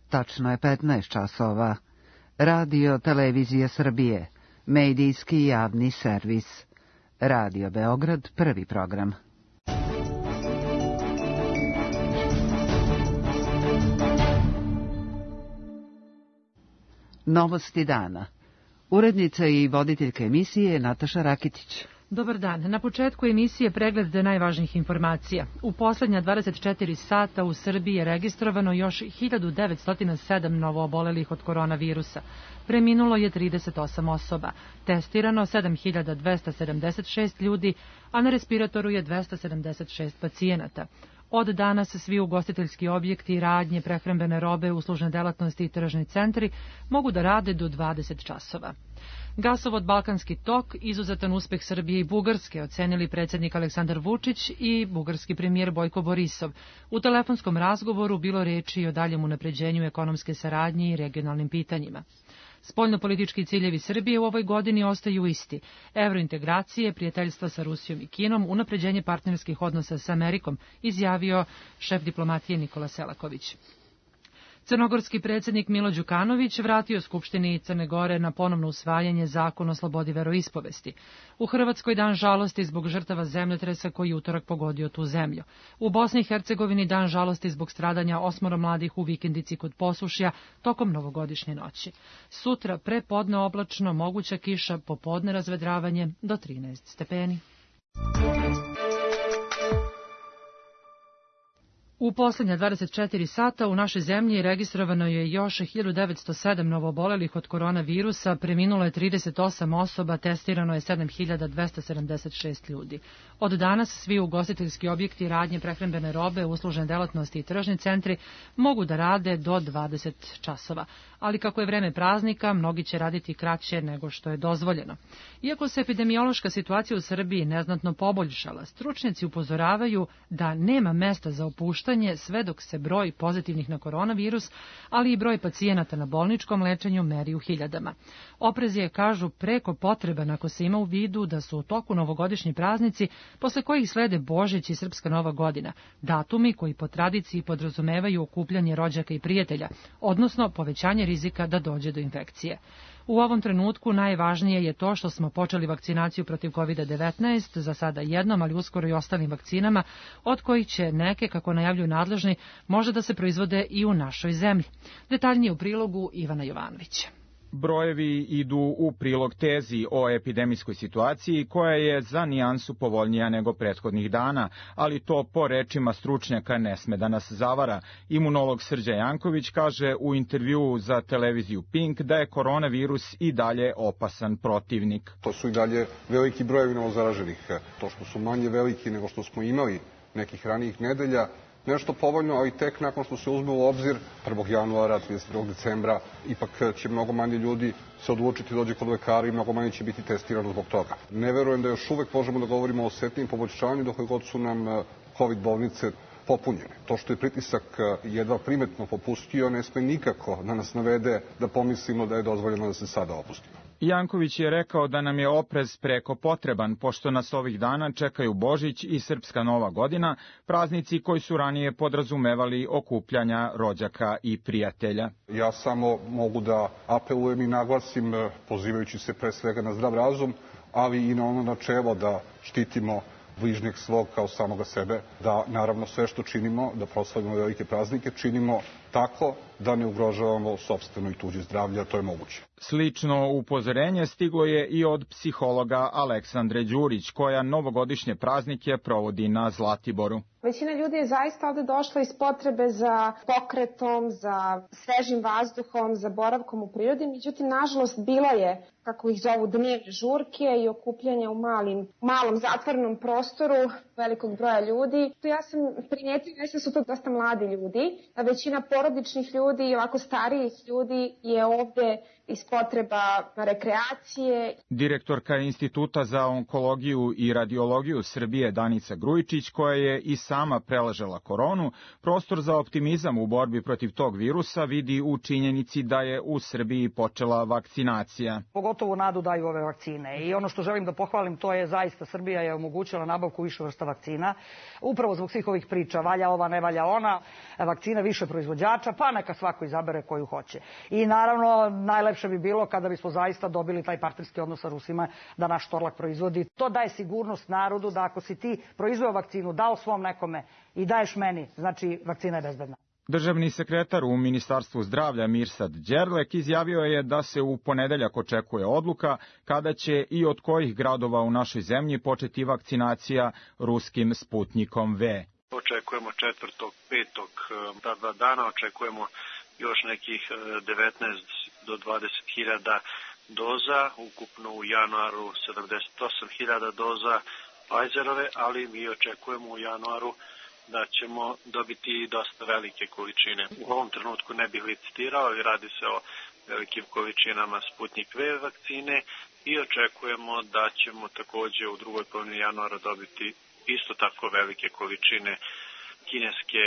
Tačno je 15 časova. Radio Televizija Srbije, medijski javni servis. Radio Beograd, prvi program. Novosti dana. Urednica i voditeljka emisije Nataša Rakitić. Dobar dan. Na početku emisije pregled najvažnijih informacija. U poslednja 24 sata u Srbiji je registrovano još 1907 novoobolelih od koronavirusa. Preminulo je 38 osoba. Testirano 7276 ljudi, a na respiratoru je 276 pacijenata. Od danas svi ugostiteljski objekti, radnje, prehrambene robe, uslužne delatnosti i tržni centri mogu da rade do 20 časova. Gasovod Balkanski tok, izuzetan uspeh Srbije i Bugarske, ocenili predsjednik Aleksandar Vučić i bugarski premijer Bojko Borisov. U telefonskom razgovoru bilo reči o daljem unapređenju ekonomske saradnje i regionalnim pitanjima. Spoljnopolitički ciljevi Srbije u ovoj godini ostaju isti. Evrointegracije, prijateljstva sa Rusijom i Kinom, unapređenje partnerskih odnosa sa Amerikom, izjavio šef diplomatije Nikola Selaković. Crnogorski predsjednik Milo Đukanović vratio Skupštini Crne Gore na ponovno usvajanje zakona o slobodi veroispovesti. U Hrvatskoj dan žalosti zbog žrtava zemljotresa koji je utorak pogodio tu zemlju. U Bosni i Hercegovini dan žalosti zbog stradanja 8 mladih u vikendici kod Posušja tokom novogodišnje noći. Sutra prepodne oblačno, moguća kiša, popodne razvedravanje do 13 stepeni. U poslednja 24 sata u našoj zemlji registrovano je još 1907 novoobolelih od koronavirusa, preminulo je 38 osoba, testirano je 7276 ljudi. Od danas svi ugostiteljski objekti, radnje, prehrambene robe, uslužne delatnosti i tržni centri mogu da rade do 20 časova. Ali kako je vreme praznika, mnogi će raditi kraće nego što je dozvoljeno. Iako se epidemiološka situacija u Srbiji neznatno poboljšala, stručnjaci upozoravaju da nema mesta za opuštanje sve dok se broj pozitivnih na koronavirus, ali i broj pacijenata na bolničkom lečenju meri u hiljadama. Oprez je, kažu, preko potreban ako se ima u vidu da su u toku novogodišnji praznici, posle kojih slede Božić i Srpska Nova godina, datumi koji po tradiciji podrazumevaju okupljanje rođaka i prijatelja, odnosno povećanje rizika da dođe do infekcije. U ovom trenutku najvažnije je to što smo počeli vakcinaciju protiv COVID-19, za sada jednom, ali uskoro i ostalim vakcinama, od kojih će neke, kako najavljuju nadležni, može da se proizvode i u našoj zemlji. Detaljnije u prilogu Ivana Jovanovića. Brojevi idu u prilog tezi o epidemijskoj situaciji koja je za nijansu povoljnija nego prethodnih dana, ali to po rečima stručnjaka ne sme da nas zavara. Imunolog Srđan Janković kaže u intervjuu za televiziju Pink da je koronavirus i dalje opasan protivnik. To su i dalje veliki brojevi novozaraženih. To što su manje veliki nego što smo imali nekih ranijih nedelja, nešto povoljno, ali tek nakon što se uzme u obzir 1. januara, 31. decembra, ipak će mnogo manje ljudi se odlučiti dođe kod lekara i mnogo manje će biti testirano zbog toga. Ne verujem da još uvek možemo da govorimo o osetnijim poboljšanju dok god su nam COVID bolnice popunjene. To što je pritisak jedva primetno popustio ne sme nikako da nas navede da pomislimo da je dozvoljeno da se sada opustimo. Janković je rekao da nam je oprez preko potreban, pošto nas ovih dana čekaju Božić i Srpska Nova godina, praznici koji su ranije podrazumevali okupljanja rođaka i prijatelja. Ja samo mogu da apelujem i naglasim, pozivajući se pre svega na zdrav razum, ali i na ono načelo da štitimo bližnjeg svog kao samoga sebe, da naravno sve što činimo, da proslavimo velike praznike, činimo tako da ne ugrožavamo sopstveno i tuđe zdravlje, a to je moguće. Slično upozorenje stiglo je i od psihologa Aleksandre Đurić, koja novogodišnje praznike provodi na Zlatiboru. Većina ljudi je zaista ovde došla iz potrebe za pokretom, za svežim vazduhom, za boravkom u prirodi, međutim, nažalost, bilo je, kako ih zovu, dnevne žurke i okupljanja u malom zatvornom prostoru velikog broja ljudi. Ja sam primijetila da su to dosta mladi ljudi, a većina porodičnih ljudi i ovako starijih ljudi je ovde iz potreba rekreacije. Direktorka Instituta za onkologiju i radiologiju Srbije Danica Grujičić, koja je i sama preležala koronu, prostor za optimizam u borbi protiv tog virusa vidi u činjenici da je u Srbiji počela vakcinacija. Pogotovo nadu daju ove vakcine i ono što želim da pohvalim to je zaista Srbija je omogućila nabavku više vrsta vakcina, upravo zbog svih ovih priča, valja ova, ne valja ona, vakcina više proizvođača, pa neka svako izabere koju hoće. I naravno, najlepše bi bilo kada bismo zaista dobili taj partnerski odnos sa Rusima, da naš Torlak proizvodi. To daje sigurnost narodu da ako si ti proizveo vakcinu, dao svom nekome i daješ meni, znači vakcina je bezbedna. Državni sekretar u Ministarstvu zdravlja Mirsad Đerlek izjavio je da se u ponedeljak očekuje odluka kada će i od kojih gradova u našoj zemlji početi vakcinacija ruskim Sputnikom V. Očekujemo 4., 5. ta 2 dana, očekujemo još nekih 19 do 20.000 doza, ukupno u januaru 78.000 doza Pfizerove, ali mi očekujemo u januaru da ćemo dobiti dosta velike količine. U ovom trenutku ne bih licitirao, ali radi se o velikim količinama Sputnik V vakcine i očekujemo da ćemo takođe u drugoj polovini januara dobiti isto tako velike količine kineske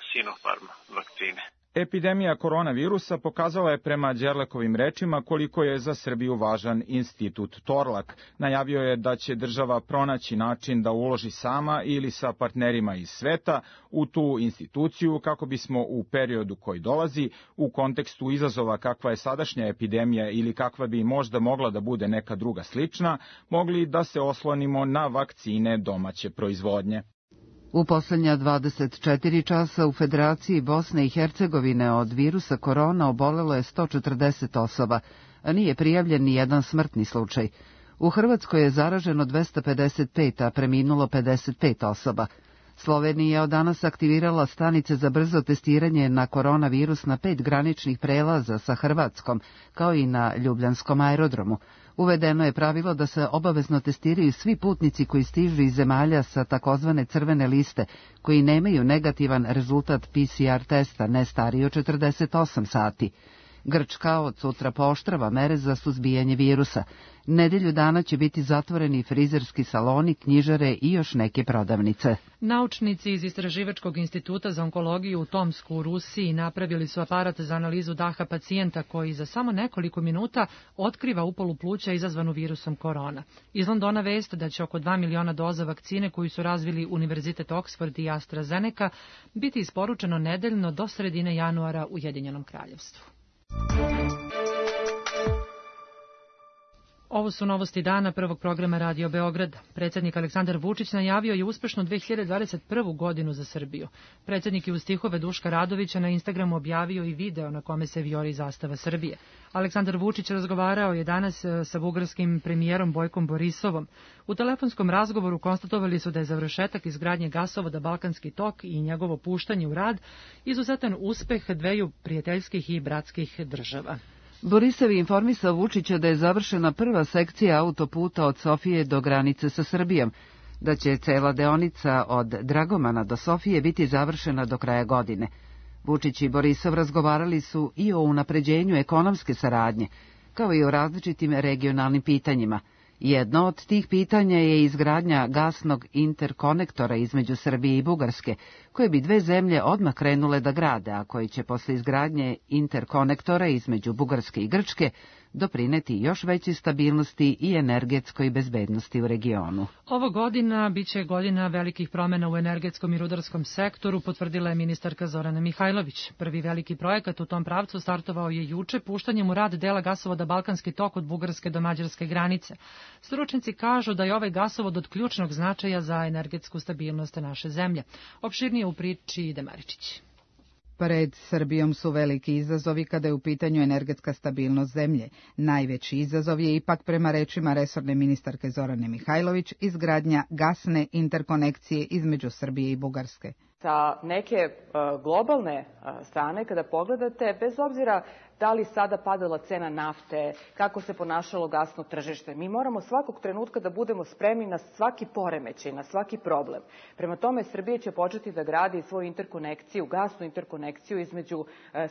Sinopharm vakcine. Epidemija koronavirusa pokazala je prema Đerlekovim rečima koliko je za Srbiju važan institut Torlak. Najavio je da će država pronaći način da uloži sama ili sa partnerima iz sveta u tu instituciju kako bismo u periodu koji dolazi, u kontekstu izazova kakva je sadašnja epidemija ili kakva bi možda mogla da bude neka druga slična, mogli da se oslonimo na vakcine domaće proizvodnje. U poslednja 24 časa u Federaciji Bosne i Hercegovine od virusa korona obolelo je 140 osoba, a nije prijavljen ni jedan smrtni slučaj. U Hrvatskoj je zaraženo 255, a preminulo 55 osoba. Slovenija je od danas aktivirala stanice za brzo testiranje na koronavirus na 5 graničnih prelaza sa Hrvatskom, kao i na Ljubljanskom aerodromu. Uvedeno je pravilo da se obavezno testiraju svi putnici koji stižu iz zemalja sa takozvane crvene liste, koji nemaju negativan rezultat PCR testa ne stariji od 48 sati. Grčka od sutra pooštrava mere za suzbijanje virusa. Nedelju dana će biti zatvoreni frizerski saloni, knjižare i još neke prodavnice. Naučnici iz Istraživačkog instituta za onkologiju u Tomsku u Rusiji napravili su aparat za analizu daha pacijenta koji za samo nekoliko minuta otkriva upalu pluća izazvanu virusom korona. Iz Londona vest da će oko 2 miliona doza vakcine koju su razvili Univerzitet Oxford i AstraZeneca biti isporučeno nedeljno do sredine januara u Ujedinjenom Kraljevstvu. Ovo su novosti dana prvog programa Radio Beograda. Predsjednik Aleksandar Vučić najavio je uspešnu 2021. godinu za Srbiju. Predsjednik je uz stihove Duška Radovića na Instagramu objavio i video na kome se vijori zastava Srbije. Aleksandar Vučić razgovarao je danas sa bugarskim premijerom Bojkom Borisovom. U telefonskom razgovoru konstatovali su da je završetak izgradnje gasovoda Balkanski tok i njegovo puštanje u rad izuzetan uspeh dveju prijateljskih i bratskih država. Borisov je informisao Vučića da je završena prva sekcija autoputa od Sofije do granice sa Srbijom, da će cela deonica od Dragomana do Sofije biti završena do kraja godine. Vučić i Borisov razgovarali su i o unapređenju ekonomske saradnje, kao i o različitim regionalnim pitanjima. Jedno od tih pitanja je izgradnja gasnog interkonektora između Srbije i Bugarske, koje bi dve zemlje odmah krenule da grade, a koji će posle izgradnje interkonektora između Bugarske i Grčke doprineti još većoj stabilnosti i energetskoj bezbednosti u regionu. Ovo godina biće godina velikih promjena u energetskom i rudarskom sektoru, potvrdila je ministarka Zorana Mihajlović. Prvi veliki projekat u tom pravcu startovao je juče puštanjem u rad dela gasovoda Balkanski tok od Bugarske do mađarske granice. Stručnjaci kažu da je ovaj gasovod od ključnog značaja za energetsku stabilnost naše zemlje. Opširnije u priči Ide Maričić. Pred Srbijom su veliki izazovi kada je u pitanju energetska stabilnost zemlje. Najveći izazov je ipak, prema rečima resorne ministarke Zorane Mihajlović, izgradnja gasne interkonekcije između Srbije i Bugarske. Sa neke globalne strane, kada pogledate, bez obzira da li sada padala cena nafte, kako se ponašalo gasno tržište, mi moramo svakog trenutka da budemo spremni na svaki poremećaj, na svaki problem. Prema tome, Srbija će početi da gradi svoju interkonekciju, gasnu interkonekciju između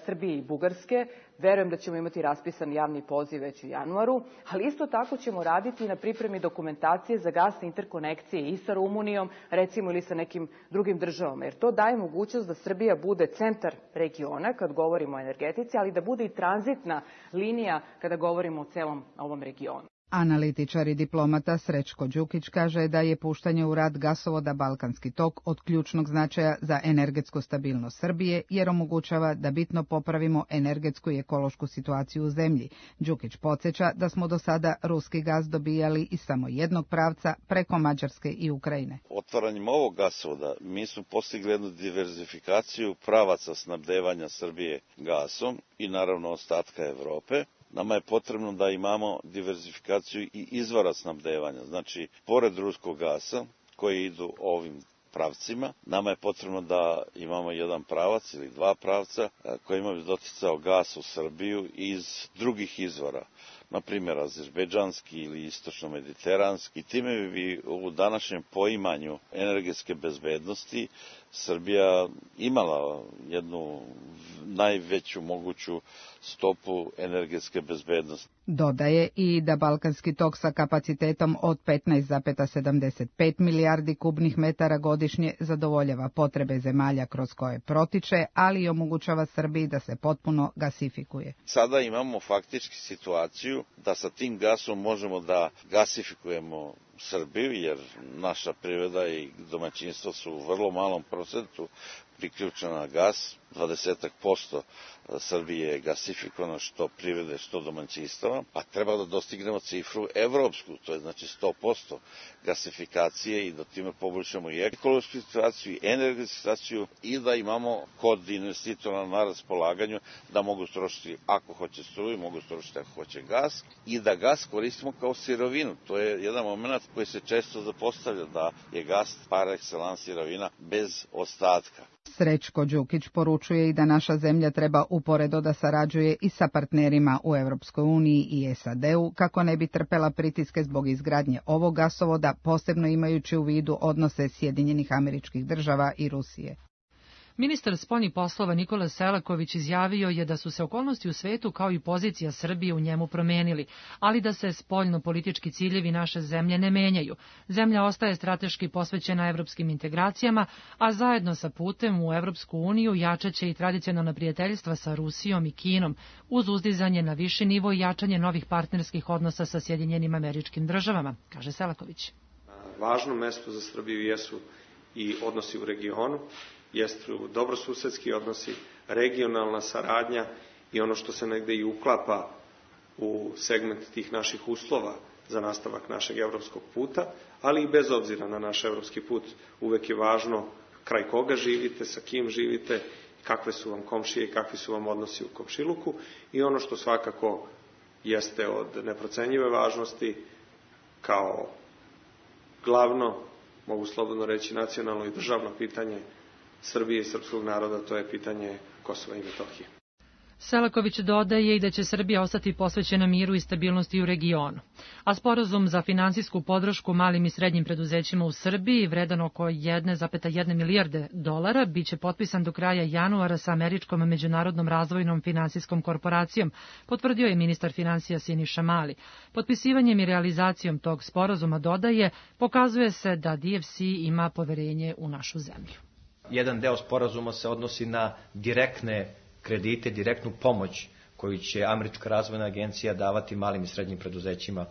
Srbije i Bugarske. Verujem da ćemo imati raspisan javni poziv već u januaru, ali isto tako ćemo raditi na pripremi dokumentacije za gasne interkonekcije i sa Rumunijom, recimo, ili sa nekim drugim državama, jer to daje mogućnost da Srbija bude centar regiona kad govorimo o energetici, ali da bude i tranzitna linija kada govorimo o celom ovom regionu. Analitičar i diplomata Srećko Đukić kaže da je puštanje u rad gasovoda Balkanski tok od ključnog značaja za energetsku stabilnost Srbije, jer omogućava da bitno popravimo energetsku i ekološku situaciju u zemlji. Đukić podsjeća da smo do sada ruski gaz dobijali iz samo jednog pravca preko Mađarske i Ukrajine. Otvaranjem ovog gasovoda mi smo postigli jednu diverzifikaciju pravaca snabdevanja Srbije gasom i naravno ostatka Evrope. Nama je potrebno da imamo diverzifikaciju i izvora snabdevanja. Znači, pored ruskog gasa koji idu ovim pravcima, nama je potrebno da imamo jedan pravac ili dva pravca kojima bi doticao gas u Srbiju iz drugih izvora, na primjer azerbejdžanski ili istočno-mediteranski. Time bi u današnjem poimanju energetske bezbednosti Srbija imala jednu najveću moguću stopu energetske bezbednosti. Dodaje i da Balkanski tok sa kapacitetom od 15,75 milijardi kubnih metara godišnje zadovoljava potrebe zemalja kroz koje protiče, ali i omogućava Srbiji da se potpuno gasifikuje. Sada imamo faktički situaciju da sa tim gasom možemo da gasifikujemo Srbiju, jer naša privreda i domaćinstva su u vrlo malom procentu priključena na gas. 20% Srbije je gasifikovano, što privrede, što domaćinstava, a treba da dostignemo cifru evropsku, to je znači 100% gasifikacije i da time poboljšamo i ekološku situaciju i energetsku situaciju i da imamo kod investitora na raspolaganju da mogu trošiti ako hoće struju, mogu trošiti ako hoće gas i da gas koristimo kao sirovinu. To je jedan moment koji se često zapostavlja, da je gas par excellence sirovina bez ostatka. Srećko Đukić poručuje i da naša zemlja treba uporedo da sarađuje i sa partnerima u Evropskoj uniji i SAD-u kako ne bi trpela pritiske zbog izgradnje ovog gasovoda, posebno imajući u vidu odnose Sjedinjenih Američkih Država i Rusije. Ministar spoljnih poslova Nikola Selaković izjavio je da su se okolnosti u svetu kao i pozicija Srbije u njemu promenili, ali da se spoljno-politički ciljevi naše zemlje ne menjaju. Zemlja ostaje strateški posvećena evropskim integracijama, a zajedno sa putem u Evropsku uniju jačaće i tradicionalna prijateljstva sa Rusijom i Kinom, uz uzdizanje na viši nivo i jačanje novih partnerskih odnosa sa Sjedinjenim Američkim Državama, kaže Selaković. Važno mesto za Srbiju jesu i odnosi u regionu, jesu dobrosusedski odnosi, regionalna saradnja i ono što se negde i uklapa u segment tih naših uslova za nastavak našeg evropskog puta, ali i bez obzira na naš evropski put uvek je važno kraj koga živite, sa kim živite, kakve su vam komšije i kakvi su vam odnosi u komšiluku i ono što svakako jeste od neprocenjive važnosti kao glavno, mogu slobodno reći, nacionalno i državno pitanje Srbije i srpskog naroda, to je pitanje Kosova i Metohije. Selaković dodaje i da će Srbija ostati posvećena miru i stabilnosti u regionu. A sporazum za finansijsku podršku malim i srednjim preduzećima u Srbiji, vredan oko 1,1 milijarde dolara, biće potpisan do kraja januara sa Američkom međunarodnom razvojnom finansijskom korporacijom, potvrdio je ministar finansija Siniša Mali. Potpisivanjem i realizacijom tog sporazuma, dodaje, pokazuje se da DFC ima poverenje u našu zemlju. Jedan deo sporazuma se odnosi na direktne kredite, direktnu pomoć koju će Američka razvojna agencija davati malim i srednjim preduzećima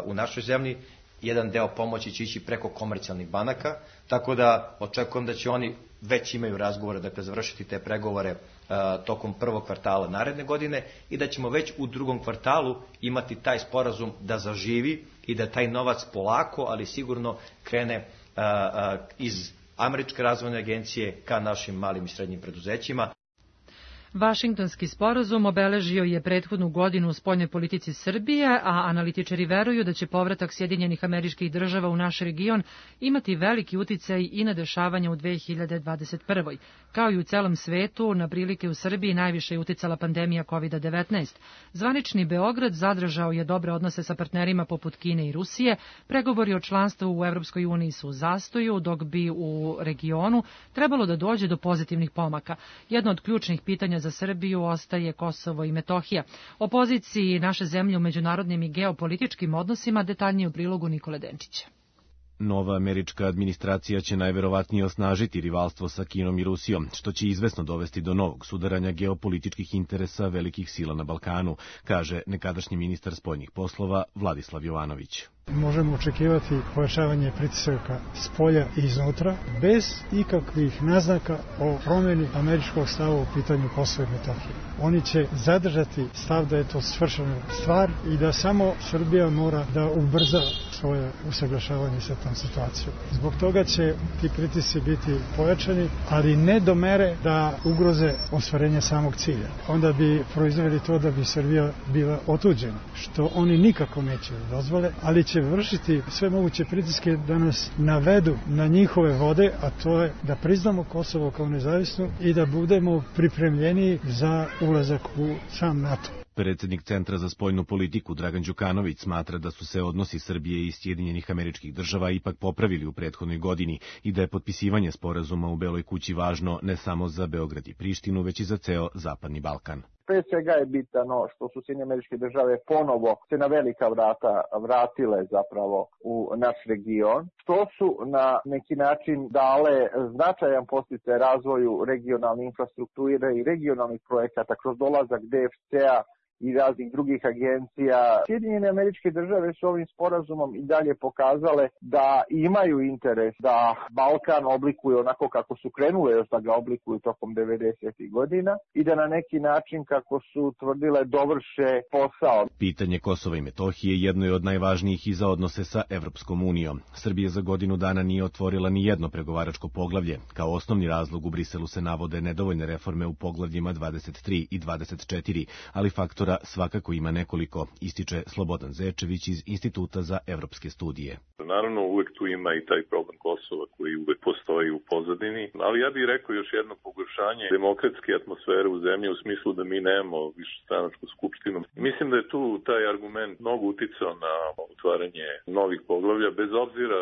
u našoj zemlji. Jedan deo pomoći će ići preko komercijalnih banaka, tako da očekujem da će oni već imaju razgovore, dakle završiti te pregovore tokom prvog kvartala naredne godine i da ćemo već u drugom kvartalu imati taj sporazum da zaživi i da taj novac polako, ali sigurno krene iz Američke razvojne agencije ka našim malim i srednjim preduzećima. Vašingtonski sporazum obeležio je prethodnu godinu u spoljnoj politici Srbije, a analitičari veruju da će povratak Sjedinjenih Američkih Država u naš region imati veliki uticaj i na dešavanja u 2021. Kao i u celom svetu, na prilike u Srbiji najviše je uticala pandemija COVID-19. Zvanični Beograd zadržao je dobre odnose sa partnerima poput Kine i Rusije, pregovori o članstvu u Evropskoj uniji su u zastoju, dok bi u regionu trebalo da dođe do pozitivnih pomaka. Jedno od ključnih pitanja za Srbiju ostaje Kosovo i Metohija. O poziciji naše zemlje u međunarodnim i geopolitičkim odnosima detaljnije u prilogu Nikole Denčića. Nova američka administracija će najverovatnije osnažiti rivalstvo sa Kinom i Rusijom, što će izvesno dovesti do novog sudaranja geopolitičkih interesa velikih sila na Balkanu, kaže nekadašnji ministar spoljnih poslova Vladislav Jovanović. Možemo očekivati pojačavanje pritisaka s polja i iznutra, bez ikakvih naznaka o promjeni američkog stava u pitanju Kosova i Metohije. Oni će zadržati stav da je to svršena stvar i da samo Srbija mora da ubrza svoje usaglašavanje sa tom situacijom. Zbog toga će ti pritisci biti pojačani, ali ne do mere da ugroze ostvarenje samog cilja. Onda bi proizveli to da bi Srbija bila otuđena, što oni nikako neće dozvole, ali će vršiti sve moguće pritiske da nas navedu na njihove vode, a to je da priznamo Kosovo kao nezavisno i da budemo pripremljeni za ulazak u sam NATO. Predsjednik Centra za spoljnu politiku Dragan Đukanović smatra da su se odnosi Srbije i Sjedinjenih Američkih Država ipak popravili u prethodnoj godini i da je potpisivanje sporazuma u Beloj kući važno ne samo za Beograd i Prištinu, već i za ceo Zapadni Balkan. Pre svega je bitno što su Sjedinjene Američke Države ponovo se na velika vrata vratile zapravo u naš region, što su na neki način dale značajan podsticaj razvoju regionalne infrastrukture i regionalnih projekata kroz dolazak DFC-a i raznih drugih agencija. Sjedinjene Američke Države su ovim sporazumom i dalje pokazale da imaju interes da Balkan oblikuje onako kako su krenule još da ga oblikuju tokom 90. godina i da na neki način, kako su tvrdile, dovrše posao. Pitanje Kosova i Metohije jedno je od najvažnijih i za odnose sa Evropskom unijom. Srbija za godinu dana nije otvorila ni jedno pregovaračko poglavlje. Kao osnovni razlog u Briselu se navode nedovoljne reforme u poglavljima 23 i 24, ali faktor svakako ima nekoliko, ističe Slobodan Zečević iz Instituta za evropske studije. Naravno, uvek tu ima i taj problem Kosova koji uvek postoji u pozadini, ali ja bih rekao još jedno pogoršanje demokratske atmosfere u zemlji u smislu da mi nemamo višestranačku skupštinu. Mislim da je tu taj argument mnogo uticao na otvaranje novih poglavlja, bez obzira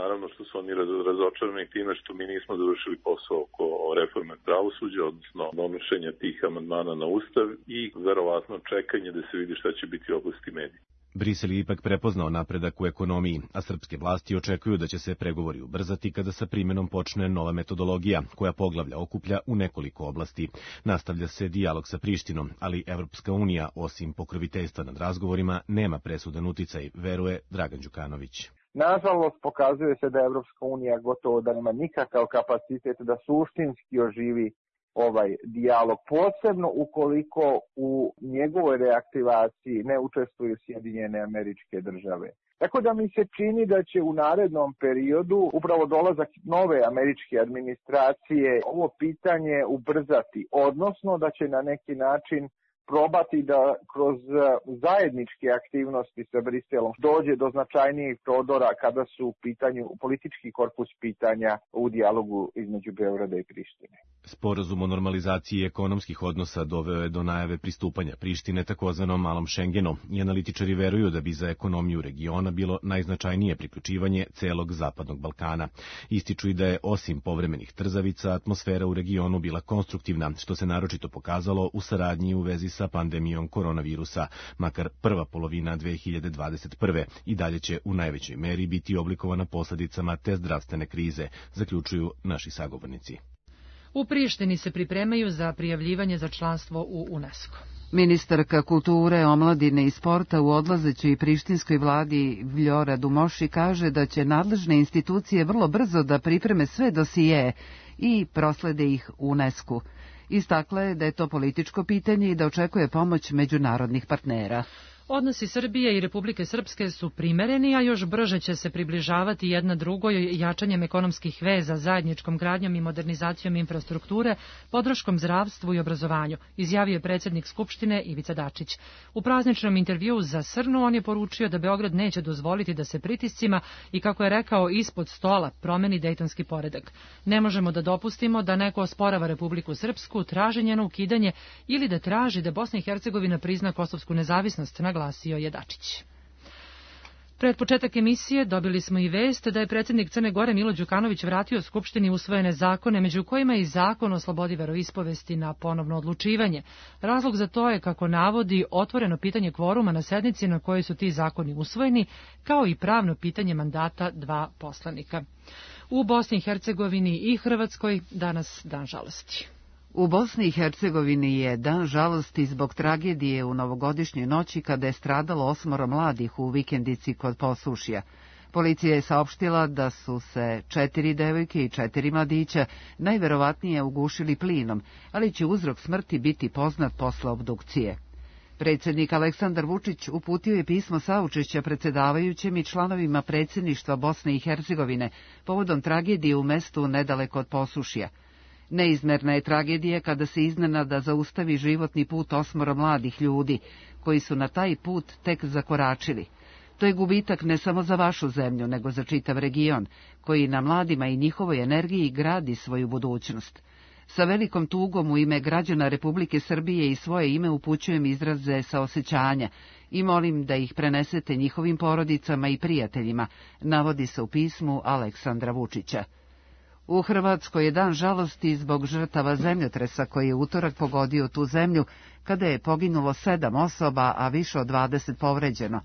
naravno što su oni razočarani time što mi nismo završili posao oko reforme pravosuđa, odnosno donošenja tih amandmana na Ustav i verovatno čekanje da se vidi šta će biti u oblasti medija. Brisel je ipak prepoznao napredak u ekonomiji, a srpske vlasti očekuju da će se pregovori ubrzati kada sa primjenom počne nova metodologija, koja poglavlja okuplja u nekoliko oblasti. Nastavlja se dijalog sa Prištinom, ali Evropska unija, osim pokroviteljstva nad razgovorima, nema presudan uticaj, veruje Dragan Đukanović. Nažalost, pokazuje se da Evropska unija gotovo da nema nikakav kapacitet da suštinski oživi ovaj dijalog, posebno ukoliko u njegovoj reaktivaciji ne učestvuju Sjedinjene Američke Države. Tako da mi se čini da će u narednom periodu upravo dolazak nove američke administracije ovo pitanje ubrzati, odnosno da će na neki način probati da kroz zajedničke aktivnosti sa Briselom dođe do značajnijih prodora kada su u pitanju politički korpus pitanja u dijalogu između Beograda i Prištine. Sporazum o normalizaciji ekonomskih odnosa doveo je do najave pristupanja Prištine takozvanom malom Šengenu i analitičari veruju da bi za ekonomiju regiona bilo najznačajnije priključivanje celog Zapadnog Balkana. Ističu i da je osim povremenih trzavica atmosfera u regionu bila konstruktivna, što se naročito pokazalo u saradnji u vezi sa pandemijom koronavirusa, makar prva polovina 2021. i dalje će u najvećoj meri biti oblikovana posledicama te zdravstvene krize, zaključuju naši sagovornici. U Prištini se pripremaju za prijavljivanje za članstvo u UNESCO. Ministarka kulture, omladine i sporta u odlazećoj prištinskoj vladi Vljora Dumoši kaže da će nadležne institucije vrlo brzo da pripreme sve dosije i proslede ih UNESCO. Istakla je da je to političko pitanje i da očekuje pomoć međunarodnih partnera. Odnosi Srbije i Republike Srpske su primereni, a još brže će se približavati jedna drugoj jačanjem ekonomskih veza, zajedničkom gradnjom i modernizacijom infrastrukture, podrškom zdravstvu i obrazovanju, izjavio je predsjednik Skupštine Ivica Dačić. U prazničnom intervjuu za Srnu on je poručio da Beograd neće dozvoliti da se pritiscima i, kako je rekao, ispod stola promeni dejtonski poredak. Ne možemo da dopustimo da neko osporava Republiku Srpsku, traži njeno ukidanje ili da traži da Bosna i Hercegovina prizna kosovsku nezavisnost, naglasio je Dačić. Pred početak emisije dobili smo i vest da je predsjednik Crne Gore Milo Đukanović vratio Skupštini usvojene zakone, među kojima i zakon o slobodi veroispovesti na ponovno odlučivanje. Razlog za to je, kako navodi, otvoreno pitanje kvoruma na sednici na kojoj su ti zakoni usvojeni, kao i pravno pitanje mandata 2 poslanika. U Bosni i Hercegovini i Hrvatskoj danas dan žalosti. U Bosni i Hercegovini je dan žalosti zbog tragedije u novogodišnjoj noći kada je stradalo 8 mladih u vikendici kod Posušja. Policija je saopštila da su se 4 devojke i 4 mladića najverovatnije ugušili plinom, ali će uzrok smrti biti poznat posle obdukcije. Predsjednik Aleksandar Vučić uputio je pismo saučešća predsjedavajućem i članovima predsjedništva Bosne i Hercegovine povodom tragedije u mestu nedaleko od Posušja. Neizmerna je tragedija kada se iznenada zaustavi životni put 8 mladih ljudi, koji su na taj put tek zakoračili. To je gubitak ne samo za vašu zemlju, nego za čitav region, koji na mladima i njihovoj energiji gradi svoju budućnost. Sa velikom tugom u ime građana Republike Srbije i svoje ime upućujem izraze saosećanja i molim da ih prenesete njihovim porodicama i prijateljima, navodi se u pismu Aleksandra Vučića. U Hrvatskoj je dan žalosti zbog žrtava zemljotresa koji je utorak pogodio tu zemlju, kada je poginulo 7 osoba, a više od 20 povređeno.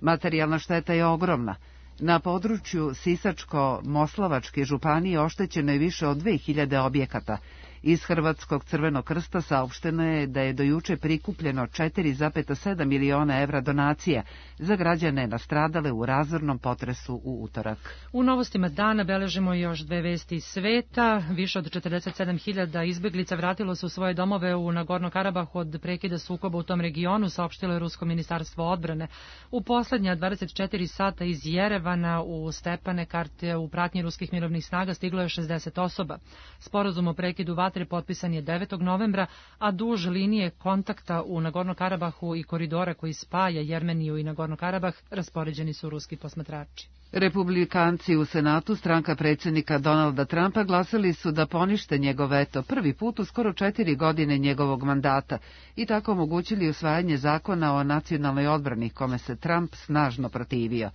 Materijalna šteta je ogromna. Na području Sisačko-Moslavačke županije oštećeno je više od 2000 objekata. Iz Hrvatskog Crvenog krsta saopšteno je da je do juče prikupljeno 4,7 miliona evra donacija za građane nastradale u razornom potresu u utorak. U novostima dana beležimo još 2 vesti iz sveta. Više od 47.000 izbjeglica vratilo se u svoje domove u Nagorno-Karabahu od prekida sukoba u tom regionu, saopštilo je Rusko ministarstvo odbrane. U poslednja 24 sata iz Jerevana u Stepane Karte u pratnji ruskih mirovnih snaga stiglo je 60 osoba. Sporazum o prekidu vatre potpisan je 9. novembra, a duž linije kontakta u Nagorno-Karabahu i koridora koji spaja Jermeniju i Nagorno-Karabah raspoređeni su ruski posmatrači. Republikanci u Senatu, stranka predsjednika Donalda Trumpa, glasali su da ponište njegov veto prvi put u skoro 4 godine njegovog mandata i tako omogućili usvajanje zakona o nacionalnoj odbrani, kome se Trump snažno protivio.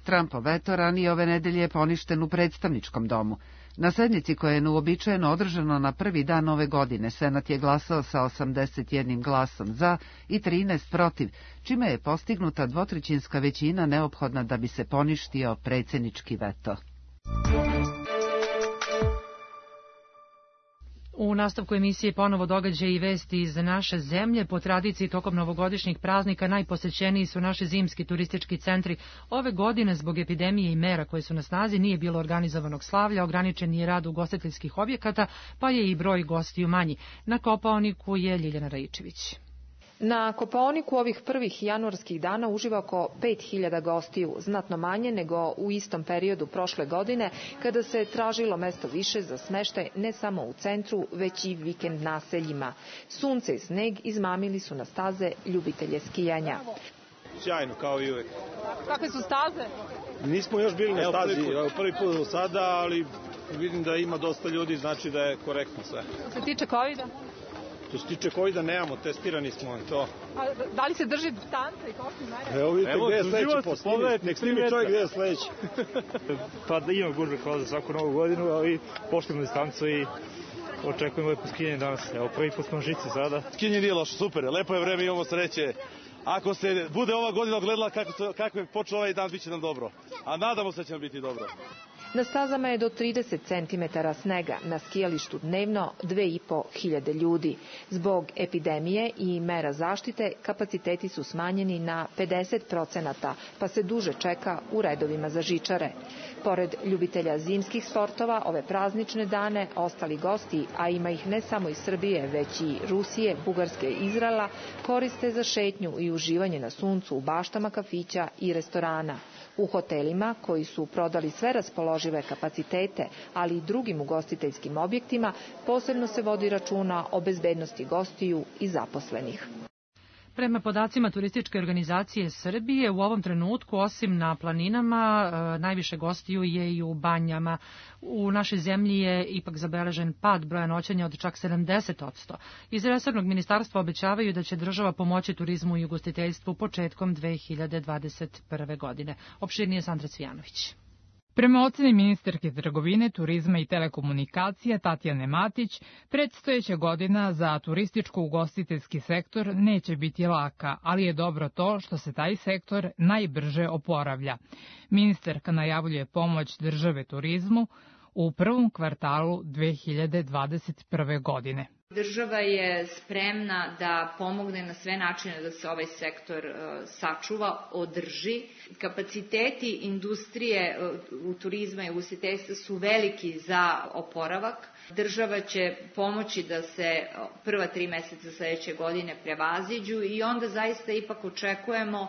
Trumpov veto ranije ove nedelje je poništen u predstavničkom domu. Na sednici koja je neuobičajeno održana na prvi dan ove godine, Senat je glasao sa 81 glasom za i 13 protiv, čime je postignuta dvotrećinska većina neophodna da bi se poništio predsjednički veto. U nastavku emisije ponovo događaji i vesti iz naše zemlje. Po tradiciji tokom novogodišnjih praznika najposećeniji su naši zimski turistički centri. Ove godine zbog epidemije i mera koje su na snazi nije bilo organizovanog slavlja, ograničen je rad ugostiteljskih objekata, pa je i broj gostiju manji. Na Kopaoniku je Ljiljana Raičević. Na Kopaoniku ovih prvih januarskih dana uživa oko 5000 gostiju, znatno manje nego u istom periodu prošle godine, kada se tražilo mesto više za smeštaj ne samo u centru, već i vikend naseljima. Sunce i sneg izmamili su na staze ljubitelje skijanja. Sjajno, kao i uvek. Kakve su staze? Nismo još bili na stazi, prvi put do sada, ali vidim da ima dosta ljudi, znači da je korektno sve. Što se tiče COVID-a? Što se tiče COVID-a nemamo, testirani smo to. A da li se drži distanca i koliko mere? Evo vidite gde je sledeći post. Nek snimi čovjek gde je sledeći. Pa da ima gužve kao za svaku novu godinu, ali poštujemo distancu i očekujemo lepo skijanje danas. Evo prvi put smo žice sada. Skijanje nije loše, super, lepo je vreme, imamo sreće. Ako se bude ova godina ogledala kako je počeo ovaj dan, bit će nam dobro. A nadamo se da će nam biti dobro. Na stazama je do 30 cm snega, na skijalištu dnevno 2500 ljudi. Zbog epidemije i mera zaštite kapaciteti su smanjeni na 50%, pa se duže čeka u redovima za žičare. Pored ljubitelja zimskih sportova, ove praznične dane ostali gosti, a ima ih ne samo iz Srbije, već i Rusije, Bugarske i Izraela, koriste za šetnju i uživanje na suncu u baštama kafića i restorana. U hotelima, koji su prodali sve raspoložive kapacitete, ali i drugim ugostiteljskim objektima, posebno se vodi računa o bezbednosti gostiju i zaposlenih. Prema podacima Turističke organizacije Srbije, u ovom trenutku, osim na planinama, najviše gostiju je i u banjama. U našoj zemlji je ipak zabeležen pad broja noćenja od čak 70%. Iz resornog ministarstva obećavaju da će država pomoći turizmu i ugostiteljstvu početkom 2021. godine. Opširnije Sandra Cvijanović. Prema oceni ministarke trgovine, turizma i telekomunikacija Tatjane Matić, predstojeća godina za turističko-ugostiteljski sektor neće biti laka, ali je dobro to što se taj sektor najbrže oporavlja. Ministarka najavljuje pomoć države turizmu u prvom kvartalu 2021. godine. Država je spremna da pomogne na sve načine da se ovaj sektor sačuva, održi. Kapaciteti industrije u turizma i ugostiteljstva su veliki za oporavak. Država će pomoći da se prva 3 meseca sledeće godine prevaziđu i onda zaista ipak očekujemo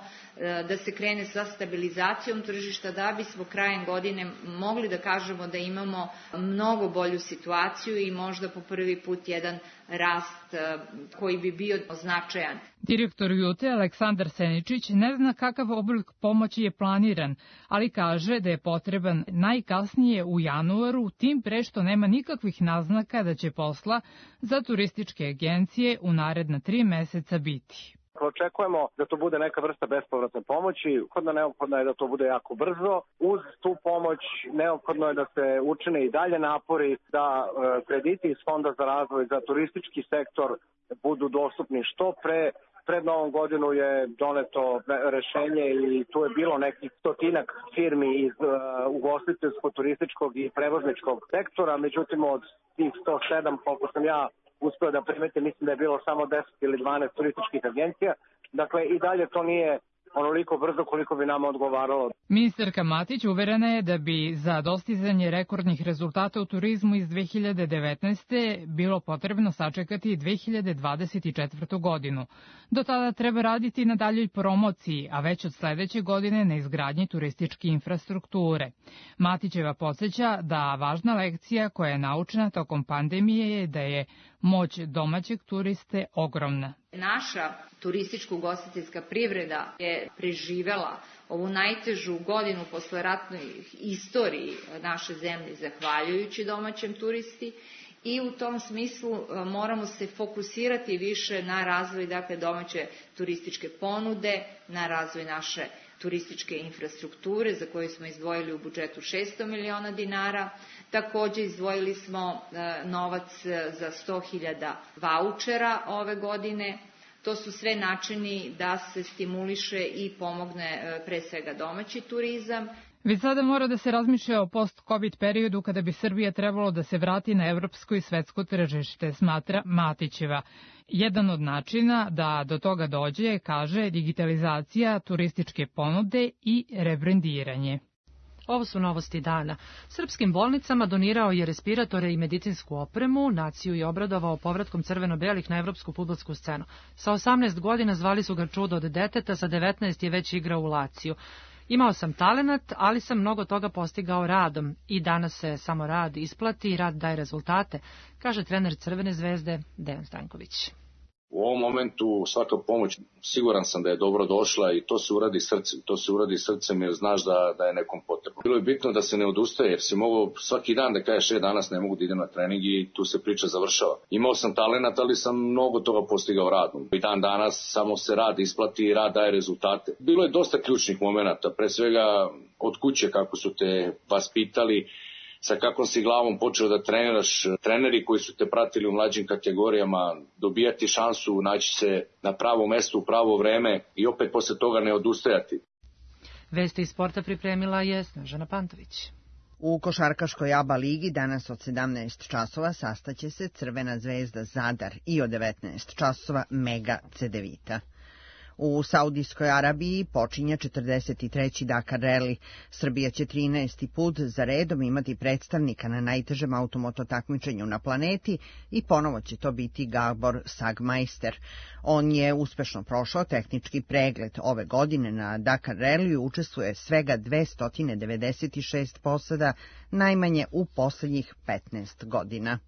da se krene sa stabilizacijom tržišta da bismo krajem godine mogli da kažemo da imamo mnogo bolju situaciju i možda po prvi put jedan rast koji bi bio značajan. Direktor Jute Aleksandar Seničić ne zna kakav oblik pomoći je planiran, ali kaže da je potreban najkasnije u januaru, tim pre što nema nikakvih naznaka da će posla za turističke agencije u naredna 3 meseca biti. Očekujemo da to bude neka vrsta bespovratne pomoći, neophodno je da to bude jako brzo. Uz tu pomoć neophodno je da se učine i dalje napori da krediti iz Fonda za razvoj za turistički sektor budu dostupni što pre. Pred Novom godinu je doneto rešenje i tu je bilo nekih 100-ak firmi iz ugostiteljsko-turističkog i prevozničkog sektora, međutim od tih 107, koliko sam ja uspio da primetim, mislim da je bilo samo 10 ili 12 turističkih agencija. Dakle, i dalje to nije onoliko brzo koliko bi nama odgovaralo. Ministarka Matić uverena je da bi za dostizanje rekordnih rezultata u turizmu iz 2019. bilo potrebno sačekati 2024. godinu. Do tada treba raditi na daljoj promociji, a već od sledeće godine na izgradnji turističke infrastrukture. Matićeva podsjeća da važna lekcija koja je naučena tokom pandemije je da je moć domaćeg turiste ogromna. Naša turističko-ugostiteljska privreda je preživela ovu najtežu godinu posleratnoj istoriji naše zemlje zahvaljujući domaćem turisti i u tom smislu moramo se fokusirati više na razvoj domaće turističke ponude, na razvoj naše turističke infrastrukture za koju smo izdvojili u budžetu 600 miliona dinara. Takođe izdvojili smo novac za 100.000 vaučera ove godine. To su sve načini da se stimuliše i pomogne pre svega domaći turizam. Već sada mora da se razmišlja o post-COVID periodu kada bi Srbija trebalo da se vrati na evropsko i svetsko tržište, smatra Matićeva. Jedan od načina da do toga dođe, kaže, digitalizacija turističke ponude i rebrendiranje. Ovo su novosti dana. Srpskim bolnicama donirao je respiratore i medicinsku opremu, naciju je obradovao povratkom crveno-belih na evropsku fudbalsku scenu. Sa 18 godina zvali su ga čudo od deteta, sa 19 je već igrao u Laciju. Imao sam talenat, ali sam mnogo toga postigao radom i danas se samo rad isplati i rad daje rezultate, kaže trener Crvene zvezde Dejan Stanković. U ovom momentu svaka pomoć, siguran sam da je dobro došla i to se uradi srcem jer znaš da je nekom potrebno. Bilo je bitno da se ne odustaje jer si mogao svaki dan da kažeš danas ne mogu da idem na trening i tu se priča završava. Imao sam talenat, ali sam mnogo toga postigao radom. I dan danas samo se rad isplati i rad daje rezultate. Bilo je dosta ključnih momenata, pre svega od kuće kako su te vaspitali, sa kakvom si glavom počeo da treniraš, treneri koji su te pratili u mlađim kategorijama, dobijati šansu, naći se na pravo mesto u pravo vreme i opet posle toga ne odustajati. Vesti iz sporta pripremila je Snežana Pantović. U košarkaškoj ABA ligi danas od 17 časova sastaće se Crvena zvezda Zadar i od 19 časova Mega Cedevita. U Saudijskoj Arabiji počinje 43. Dakar Rally. Srbija će 13. put za redom imati predstavnika na najtežem automoto takmičenju na planeti i ponovo će to biti Gabor Sagmeister. On je uspešno prošao tehnički pregled. Ove godine na Dakar Rallyu učestvuje svega 296 posada, najmanje u poslednjih 15 godina.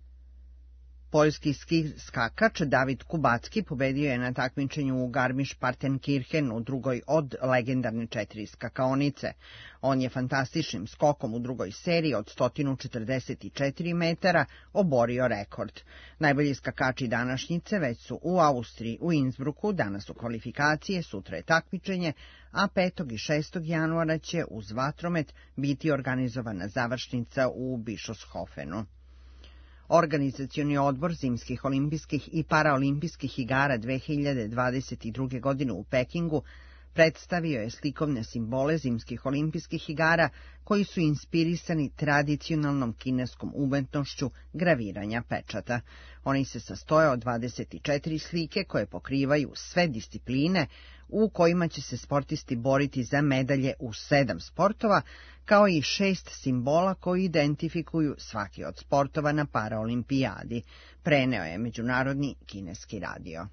Poljski skakač David Kubacki pobedio je na takmičenju u Garmisch-Partenkirchen u drugoj od legendarne 4 skakaonice. On je fantastičnim skokom u drugoj seriji od 144 metara oborio rekord. Najbolji skakači današnjice već su u Austriji, u Innsbrucku, danas su kvalifikacije, sutra je takmičenje, a 5. i 6. januara će uz vatromet biti organizovana završnica u Bischofshofenu. Organizacioni odbor Zimskih olimpijskih i paraolimpijskih igara 2022. godine u Pekingu predstavio je slikovne simbole Zimskih olimpijskih igara koji su inspirisani tradicionalnom kineskom umetnošću graviranja pečata. Oni se sastoje od 24 slike koje pokrivaju sve discipline u kojima će se sportisti boriti za medalje u 7 sportova, kao i 6 simbola koji identifikuju svaki od sportova na paraolimpijadi, preneo je Međunarodni kineski radio.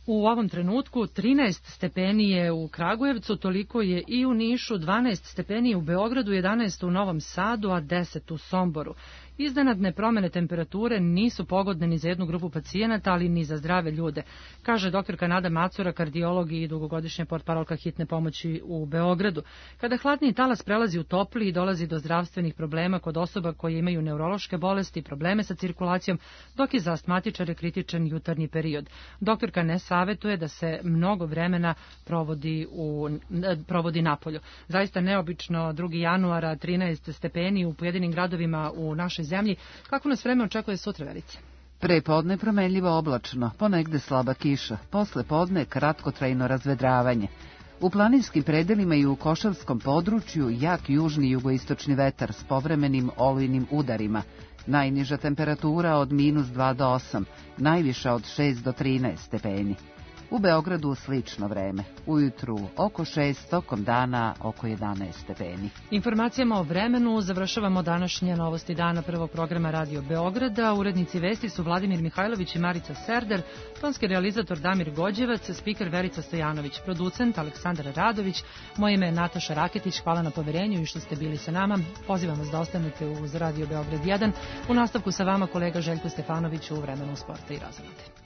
U ovom trenutku 13 stepeni je u Kragujevcu, toliko je i u Nišu, 12 stepeni u Beogradu, 11 u Novom Sadu, a 10 u Somboru. Iznenadne promene temperature nisu pogodne ni za jednu grupu pacijenata, ali ni za zdrave ljude, kaže doktorka Nada Macura, kardiolog i dugogodišnja portparolka hitne pomoći u Beogradu. Kada hladni talas prelazi u topliji, dolazi do zdravstvenih problema kod osoba koje imaju neurološke bolesti, probleme sa cirkulacijom, dok je za astmatičare kritičan jutarnji period. Doktorka ne savetuje da se mnogo vremena provodi napolju. Zaista neobično 2. januara 13 stepeni u pojedinim gradovima u našoj zemlji. Kako nas vreme očekuje sutra, Verice? Pre podne promenljivo oblačno, ponegde slaba kiša, posle podne kratkotrajno razvedravanje. U planinskim predelima i u Košavskom području jak južni jugoistočni vetar s povremenim olujnim udarima. Najniža temperatura od -2 do 8, najviša od 6 do 13 stepeni. U Beogradu slično vreme. Ujutru oko 6, tokom dana oko 11 stepeni. Informacijama o vremenu završavamo današnje novosti dana prvog programa Radio Beograda. Urednici vesti su Vladimir Mihajlović i Marica Serder, tonski realizator Damir Gođevac, spiker Verica Stojanović, producent Aleksandar Radović. Moje ime je Nataša Raketić, hvala na poverenju i što ste bili sa nama. Pozivam vas da ostanete uz Radio Beograd 1. U nastavku sa vama kolega Željko Stefanović u vremenu sporta i razvode.